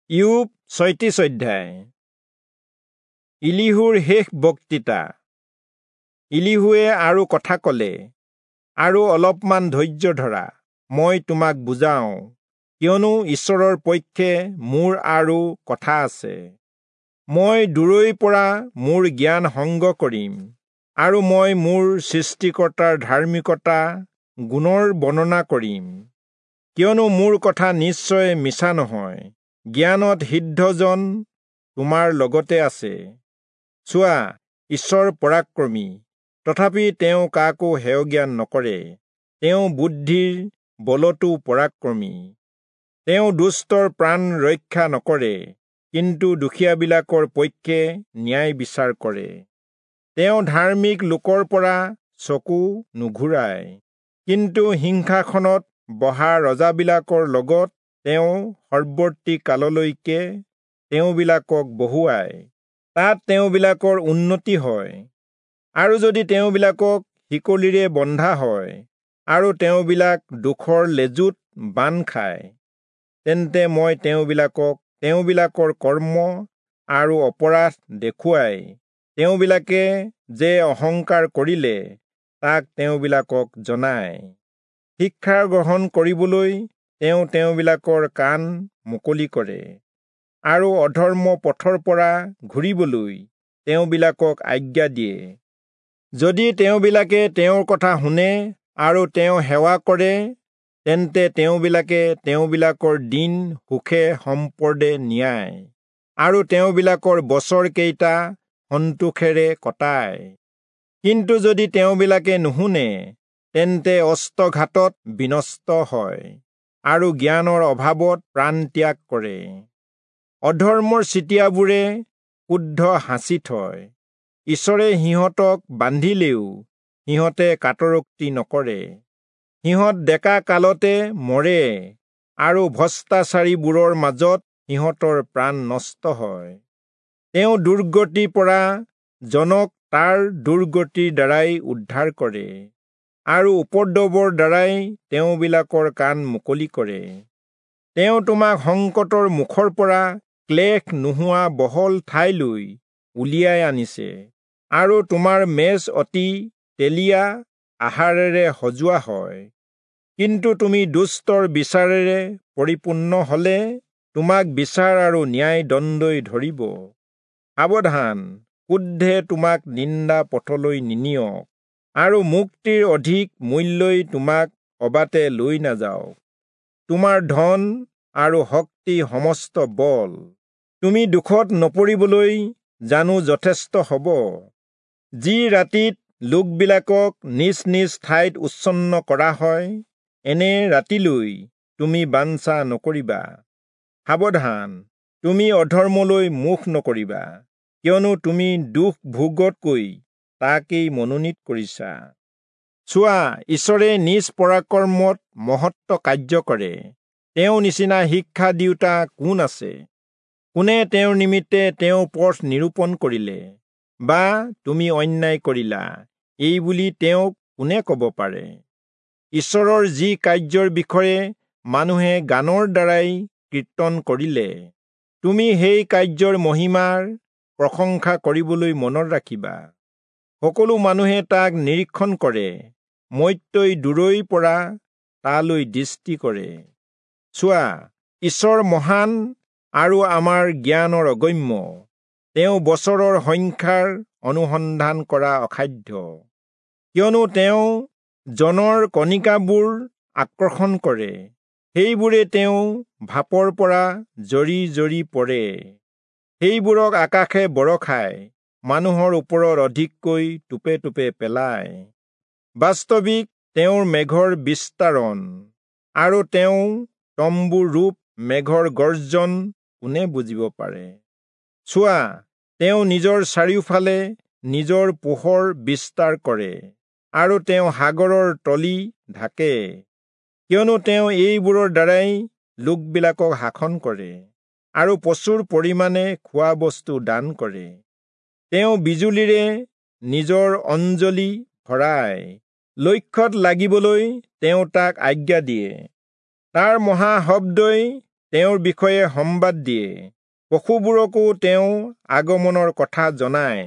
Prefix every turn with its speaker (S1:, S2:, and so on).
S1: ইয়োব 36 অধ্যায়। ইলিহুৰ শেষ বক্তৃতা। ইলিহুৱে আৰু কথা কলে, আৰু অলপমান ধৈৰ্য ধৰা, মই তোমাক বুজাওঁ, কিয়নো ঈশ্বৰৰ পক্ষে মোৰ আৰু কথা আছে। মই দূৰৈৰ পৰা মোৰ জ্ঞান সংগ কৰিম, আৰু মই মোৰ সৃষ্টিকৰ্তাৰ ধাৰ্মিকতা গুণৰ বৰ্ণনা কৰিম। কিয়নো মোৰ কথা নিশ্চয় মিছা নহয়, জ্ঞানত সিদ্ধজন তোমাৰ লগতে আছে। চোৱা, ঈশ্বৰ পৰাক্ৰমী, তথাপি তেওঁ কাকো হেয়জ্ঞান নকৰে। তেওঁ বুদ্ধিৰ বলতো পৰাক্ৰমী। তেওঁ দুষ্টৰ প্ৰাণ ৰক্ষা নকৰে, কিন্তু দুখীয়াবিলাকৰ পক্ষে ন্যায় বিচাৰ কৰে। তেওঁ ধাৰ্মিক লোকৰ পৰা চকু নুঘূৰায়, কিন্তু সিংহাসনত বহা ৰজাবিলাকৰ লগত তেওঁ সৰ্বৰ্তী কাললৈকে তেওঁবিলাকক বহুৱায়। তাত তেওঁবিলাকৰ উন্নতি হয়। আৰু যদি তেওঁবিলাকক শিকলিৰে বন্ধা হয় আৰু তেওঁবিলাক দুখৰ লেজুত বান্ধ খায়, তেন্তে মই তেওঁবিলাকক তেওঁবিলাকৰ কৰ্ম আৰু অপৰাধ দেখুৱাই তেওঁবিলাকে যে অহংকাৰ কৰিলে তাক তেওঁবিলাকক জনায়। শিক্ষা গ্ৰহণ কৰিবলৈ তেওঁ তেওঁবিলাকৰ কাণ মুকলি কৰে, আৰু অধৰ্ম পথৰ পৰা ঘূৰিবলৈ তেওঁবিলাকক আজ্ঞা দিয়ে। যদি তেওঁবিলাকে তেওঁৰ কথা শুনে আৰু তেওঁ সেৱা কৰে, তেন্তে তেওঁবিলাকে তেওঁবিলাকৰ দিন সুখে সম্পদে নিয়ায়, আৰু তেওঁবিলাকৰ বছৰ কেইটা সন্তোষেৰে কটায়। কিন্তু যদি তেওঁবিলাকে নুশুনে, তেন্তে অস্ত্ৰঘাতত বিনষ্ট হয়, আৰু জ্ঞানৰ অভাৱত প্ৰাণ ত্যাগ কৰে। অধৰ্মৰ চিটিয়াবোৰে ক্ৰুদ্ধ সাঁচি থয়, ঈশ্বৰে সিহঁতক বান্ধিলেও সিহঁতে কাতৰোক্তি নকৰে। সিহঁত ডেকা কালতে মৰে, আৰু ভ্ৰষ্টাচাৰীবোৰৰ মাজত সিহঁতৰ প্ৰাণ নষ্ট হয়। তেওঁ দুৰ্গতিৰ পৰা জনক তাৰ দুৰ্গতিৰ দ্বাৰাই উদ্ধাৰ কৰে, আৰু উপদ্ৰৱৰ দ্বাৰাই তেওঁবিলাকৰ কাণ মুকলি কৰে। তেওঁ তোমাক সংকটৰ মুখৰ পৰা ক্লেশ নোহোৱা বহল ঠাইলৈ উলিয়াই আনিছে, আৰু তোমাৰ মেজ অতি তেলীয়া আহাৰেৰে সজোৱা হয়। কিন্তু তুমি দুষ্টৰ বিচাৰেৰে পৰিপূৰ্ণ হলে তোমাক বিচাৰ আৰু ন্যায় দণ্ডই ধৰিব। সাৱধান, ক্ৰোধে তোমাক নিন্দা পথলৈ নিনিয়ক, আৰু মুক্তিৰ অধিক মূল্যই তোমাক অবাটে লৈ নাযাওক। তোমাৰ ধন আৰু শক্তি সমস্ত বল তুমি দুখত নপৰিবলৈ জানো যথেষ্ট হ'ব? যি ৰাতিত লোকবিলাকক নিজ নিজ ঠাইত উচ্ছন্ন কৰা হয়, এনে ৰাতিলৈ তুমি বাঞ্ছা নকৰিবা। সাৱধান, তুমি অধৰ্মলৈ মুখ নকৰিবা, কিয়নো তুমি দুখ ভোগতকৈ তাকেই মনোনীত কৰিছা। চোৱা, ঈশ্বৰে নিজ পৰাক্ৰমত মহত্ব কাৰ্য কৰে। তেওঁ নিচিনা শিক্ষা দিওঁতা কোন আছে? কোনে তেওঁৰ নিমিত্তে তেওঁৰ পথ নিৰূপণ কৰিলে? বা তুমি অন্যায় কৰিলা, এই বুলি তেওঁক কোনে ক'ব পাৰে? ঈশ্বৰৰ যি কাৰ্যৰ বিষয়ে মানুহে গানৰ দ্বাৰাই কীৰ্তন কৰিলে, তুমি সেই কাৰ্যৰ মহিমাৰ প্ৰশংসা কৰিবলৈ মনত ৰাখিবা। সকলো মানুহে তাক নিৰীক্ষণ কৰে, মৰ্ত্যই দূৰৈৰ পৰা তালৈ দৃষ্টি কৰে। চোৱা, ঈশ্বৰ মহান আৰু আমাৰ জ্ঞানৰ অগম্য। তেওঁ বছৰৰ সংখ্যাৰ অনুসন্ধান কৰা অসাধ্য, কিয়নো তেওঁ জনৰ কণিকাবোৰ আকৰ্ষণ কৰে, সেইবোৰে তেওঁ ভাপৰ পৰা জৰি জৰি পৰে। সেইবোৰক আকাশে বৰষায়, মানুহৰ ওপৰত অধিককৈ টোপে টোপে পেলায়। বাস্তৱিক তেওঁৰ মেঘৰ বিস্তাৰণ আৰু তেওঁ তম্বুৰ ৰূপ মেঘৰ গৰ্জন কোনে বুজিব পাৰে? চোৱা, তেওঁ নিজৰ চাৰিওফালে নিজৰ পোহৰ বিস্তাৰ কৰে, আৰু তেওঁ সাগৰৰ তলি ঢাকে। কিয়নো তেওঁ এইবোৰৰ দ্বাৰাই লোকবিলাকক শাসন কৰে, আৰু প্ৰচুৰ পৰিমাণে খোৱা বস্তু দান কৰে। তেওঁ বিজুলীৰে নিজৰ অঞ্জলি ভৰায়, লক্ষ্যত লাগিবলৈ তেওঁ তাক আজ্ঞা দিয়ে। তাৰ মহাশব্দই তেওঁৰ বিষয়ে সম্বাদ দিয়ে, পশুবোৰকো তেওঁ আগমনৰ কথা জনায়।